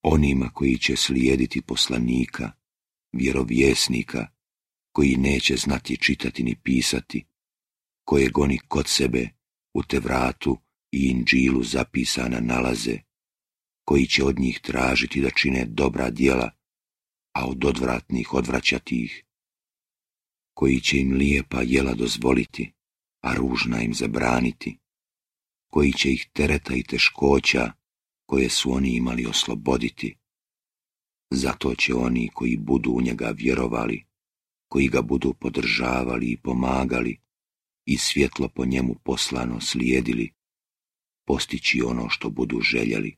onima koji će slijediti poslanika, vjerovjesnika, koji neće znati čitati ni pisati, kojeg oni kod sebe u Tevratu i Inđilu zapisana nalaze, koji će od njih tražiti da čine dobra djela, a od odvratnih odvraćati ih, koji će im lijepa jela dozvoliti, a ružna im zabraniti, koji će ih tereta i teškoća koje su oni imali osloboditi. Zato će oni koji budu u njega vjerovali, koji ga budu podržavali i pomagali i svjetlo po njemu poslano slijedili, postići ono što budu željeli.